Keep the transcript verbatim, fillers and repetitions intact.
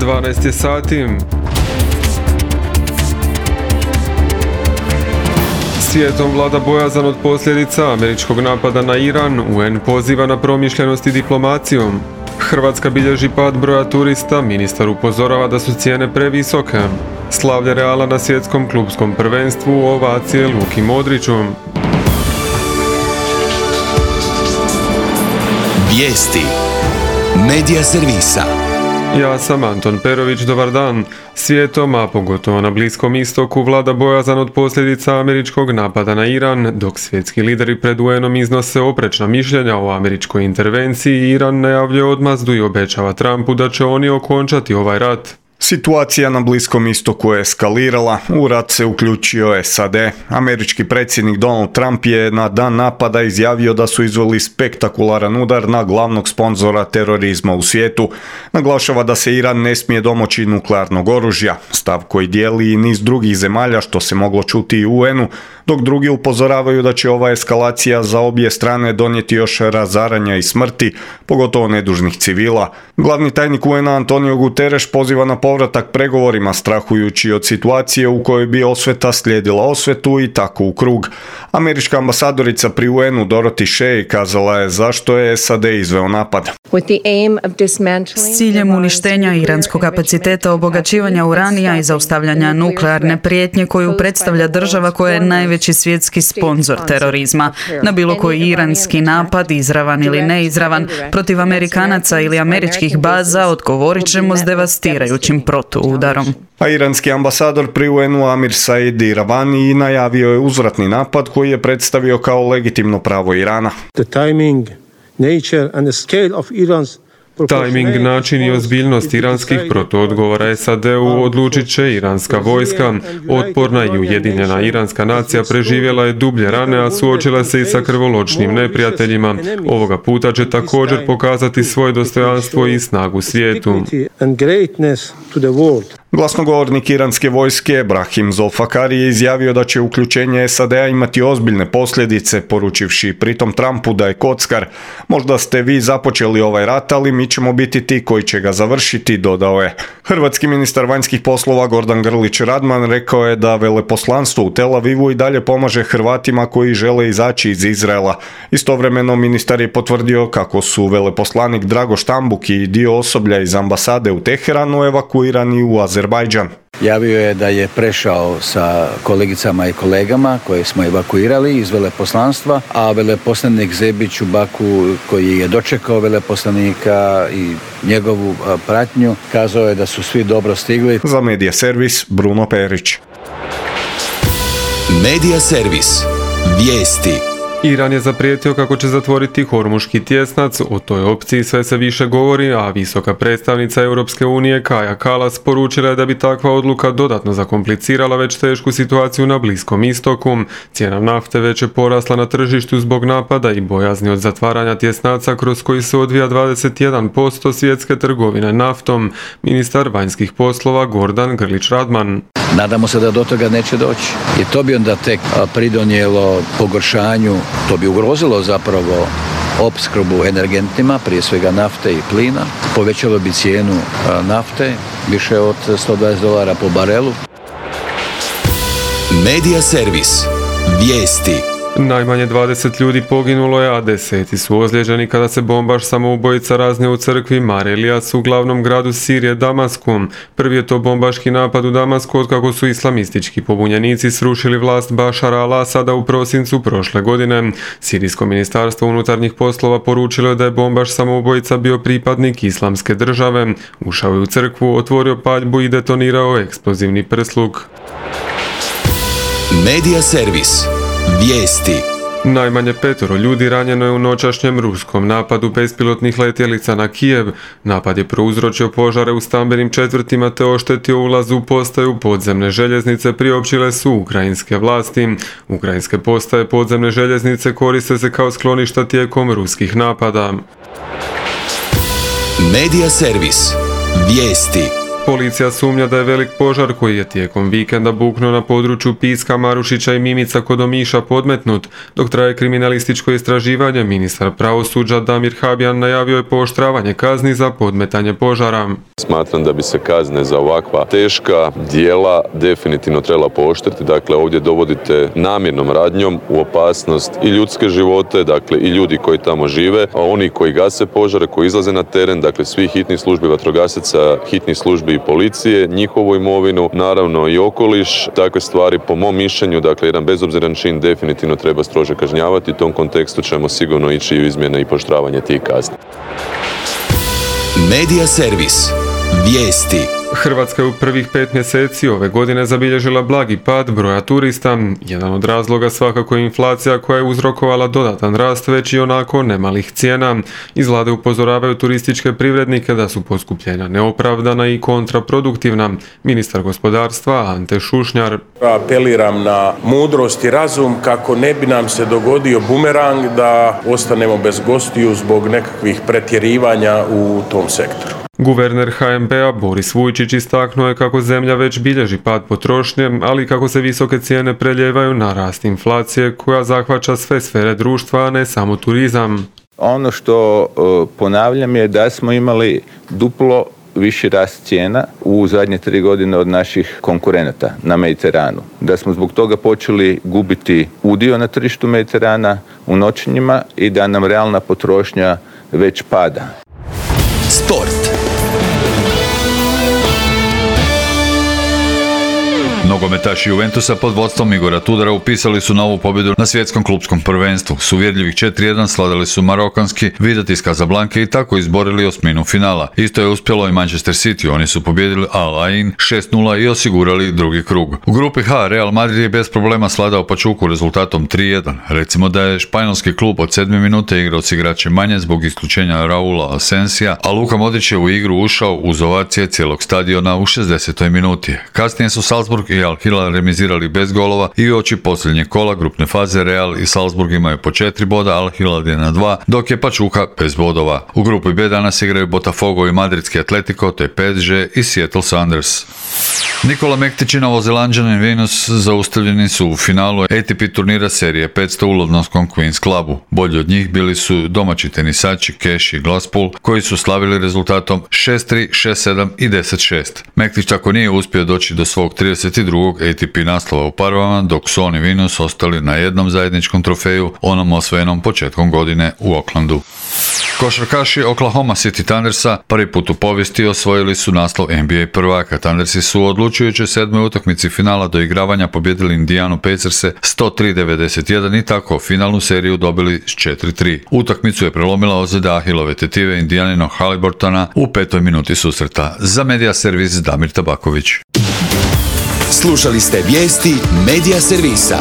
dvanaest je sati. Svijetom vlada bojazan od posljedica američkog napada na Iran, U N poziva na promišljenost i diplomacijom. Hrvatska bilježi pad broja turista, ministar upozorava da su cijene previsoke. Slavlje Reala na svjetskom klupskom prvenstvu, ovacije Luki Modriću. Vijesti Medija servisa. Ja sam Anton Perović, dobar dan. Svijetom, a pogotovo na Bliskom istoku, vlada bojazan od posljedica američkog napada na Iran, dok svjetski lideri pred U N-om iznose oprečna mišljenja o američkoj intervenciji. Iran najavljuje odmazdu i obećava Trumpu da će oni okončati ovaj rat. Situacija na Bliskom istoku je eskalirala, u rat se uključio S A D. Američki predsjednik Donald Trump je na dan napada izjavio da su izveli spektakularan udar na glavnog sponzora terorizma u svijetu. Naglašava da se Iran ne smije domoći nuklearnog oružja, stav koji dijeli i niz drugih zemalja, što se moglo čuti i u U N-u, dok drugi upozoravaju da će ova eskalacija za obje strane donijeti još razaranja i smrti, pogotovo nedužnih civila. Glavni tajnik U N-a Antonio Guterres poziva na povratak pregovorima, strahujući od situacije u kojoj bi osveta slijedila osvetu i tako u krug. Američka ambasadorica pri U N-u Dorothy Shea kazala je zašto je S A D izveo napad. S ciljem uništenja iranskog kapaciteta obogaćivanja uranija i zaustavljanja nuklearne prijetnje koju predstavlja država koja je najveći svjetski sponzor terorizma. Na bilo koji iranski napad, izravan ili neizravan, protiv Amerikanaca ili američkih baza odgovorit ćemo s devastirajućim protuudarom. A iranski ambasador pri U N-u Amir Said Iravani najavio je uzvratni napad koji je predstavio kao legitimno pravo Irana. The timing, nature and the scale of Iran's Tajming, način i ozbiljnost iranskih protuodgovora S A D-u odlučit će iranska vojska. Otporna i ujedinjena iranska nacija preživjela je dublje rane, a suočila se i sa krvoločnim neprijateljima. Ovoga puta će također pokazati svoje dostojanstvo i snagu svijetu. Glasnogovornik iranske vojske Brahim Zolfakari je izjavio da će uključenje S A D-a imati ozbiljne posljedice, poručivši pritom Trumpu da je kockar. Možda ste vi započeli ovaj rat, ali mi ćemo biti ti koji će ga završiti, dodao je. Hrvatski ministar vanjskih poslova Gordan Grlić Radman rekao je da veleposlanstvo u Tel Avivu i dalje pomaže Hrvatima koji žele izaći iz Izraela. Istovremeno ministar je potvrdio kako su veleposlanik Drago Štambuk i dio osoblja iz ambasade u Teheranu evakuirani u Azerbajdžan. Javio je da je prešao sa kolegicama i kolegama koje smo evakuirali iz veleposlanstva, a veleposlanik Zebić u Baku, koji je dočekao veleposlanika i njegovu pratnju, kazao je da su svi dobro stigli. Za Medija servis Bruno Perić. Medija servis. Vijesti. Iran je zaprijetio kako će zatvoriti Hormuški tjesnac. O toj opciji sve se više govori, a visoka predstavnica Europske unije Kaja Kallas poručila je da bi takva odluka dodatno zakomplicirala već tešku situaciju na Bliskom istoku. Cijena nafte već je porasla na tržištu zbog napada i bojazni od zatvaranja tjesnaca kroz koji se odvija dvadeset jedan posto svjetske trgovine naftom. Ministar vanjskih poslova Gordan Grlić Radman. Nadamo se da do toga neće doći. I to bi onda tek pridonijelo pogoršanju, to bi ugrozilo zapravo opskrbu energentima, prije svega nafte i plina. Povećalo bi cijenu nafte više od sto dvadeset dolara po barelu. Medija servis. Vijesti. Najmanje dvadeset ljudi poginulo je, a deseti su ozlijeđeni kada se bombaš samoubojica raznio u crkvi Mar Elijas u glavnom gradu Sirije Damasku. Prvi je to bombaški napad u Damasku otkako su islamistički pobunjenici srušili vlast Bašara al-Asada u prosincu prošle godine. Sirijsko ministarstvo unutarnjih poslova poručilo je da je bombaš samoubojica bio pripadnik islamske države. Ušao je u crkvu, otvorio paljbu i detonirao eksplozivni prsluk. Medija servis. Vijesti. Najmanje petoro ljudi ranjeno je u noćašnjem ruskom napadu bespilotnih letjelica na Kijev. Napad je prouzročio požare u stambenim četvrtima te oštetio ulaz u postaju podzemne željeznice, priopćile su ukrajinske vlasti. Ukrajinske postaje podzemne željeznice koriste se kao skloništa tijekom ruskih napada. Medija servis. Vijesti. Policija sumnja da je velik požar koji je tijekom vikenda buknuo na području Piska, Marušića i Mimica kod Omiša podmetnut. Dok traje kriminalističko istraživanje, ministar pravosuđa Damir Habijan najavio je pooštravanje kazni za podmetanje požara. Smatram da bi se kazne za ovakva teška djela definitivno trebala pooštriti. Dakle, ovdje dovodite namjernom radnjom u opasnost i ljudske živote, dakle i ljudi koji tamo žive, a oni koji gase požare, koji izlaze na teren, dakle svih hitnih službi, vatrogasaca, hitnih službi i policije, njihovu imovinu, naravno i okoliš. Takve stvari, po mom mišljenju, dakle jedan bezobziran čin definitivno treba strože kažnjavati. U tom kontekstu ćemo sigurno ići u izmjene i pooštravanje tih kazni. Medija servis. Vijesti. Hrvatska je u prvih pet mjeseci ove godine zabilježila blagi pad broja turista. Jedan od razloga svakako je inflacija koja je uzrokovala dodatan rast već i onako nemalih cijena. Iz vlade upozoravaju turističke privrednike da su poskupljenja neopravdana i kontraproduktivna. Ministar gospodarstva Ante Šušnjar. Apeliram na mudrost i razum kako ne bi nam se dogodio bumerang da ostanemo bez gostiju zbog nekakvih pretjerivanja u tom sektoru. Guverner ha em be a Boris Vujčić istaknuo je kako zemlja već bilježi pad potrošnje, ali kako se visoke cijene preljevaju na rast inflacije koja zahvaća sve sfere društva, a ne samo turizam. Ono što ponavljam je da smo imali duplo viši rast cijena u zadnje tri godine od naših konkurenata na Mediteranu. Da smo zbog toga počeli gubiti udio na tržištu Mediterana u noćenjima i da nam realna potrošnja već pada. Sport. Nogometaši Juventusa pod vodstvom Igora Tudora upisali su novu pobjedu na svjetskom klupskom prvenstvu. S uvjerljivih četiri jedan sladali su marokanski Wydad iz Casablanke i tako izborili osminu finala. Isto je uspjelo i Manchester City, oni su pobjedili Al Ain šest nula i osigurali drugi krug. U grupi H Real Madrid je bez problema sladao Pachuku rezultatom tri jedan. Recimo da je španjolski klub od sedme minute igrao s igračem manje zbog isključenja Raula Asensija, a Luka Modrić je u igru ušao uz ovacije cijelog stadiona u šezdesetoj minuti. Kasnije su Salzburg i Al Hilal remizirali bez golova i uoči posljednjeg kola grupne faze Real i Salzburg imaju po četiri boda, Al Hilal je na dva, dok je Pachuca bez bodova. U grupi B danas igraju Botafogo i Madridski Atletico, te P S G i Seattle Sounders. Nikola Mektić i Novozelanđanin Venus zaustavljeni su u finalu A T P turnira serije petsto u londonskom Queen's Clubu. Bolji od njih bili su domaći tenisači Cash i Glasspool, koji su slavili rezultatom šest tri, šest sedam i deset šest. Mektić tako nije uspio doći do svog trideset drugog A T P naslova u parovama, dok su on i Venus ostali na jednom zajedničkom trofeju, onom osvojenom početkom godine u Oaklandu. Košarkaši Oklahoma City Thundersa prvi put u povijesti osvojili su naslov N B A prvaka. Thundersi su u odlučujućoj sedmoj utakmici finala doigravanja pobjedili Indianu Pacerse sto tri devedeset jedan i tako finalnu seriju dobili s četiri tri. Utakmicu je prelomila ozljeda Ahilove tetive Indijaninog Haliburtona u petoj minuti susreta. Za Medija servis Damir Tabaković. Slušali ste vijesti Medija servisa.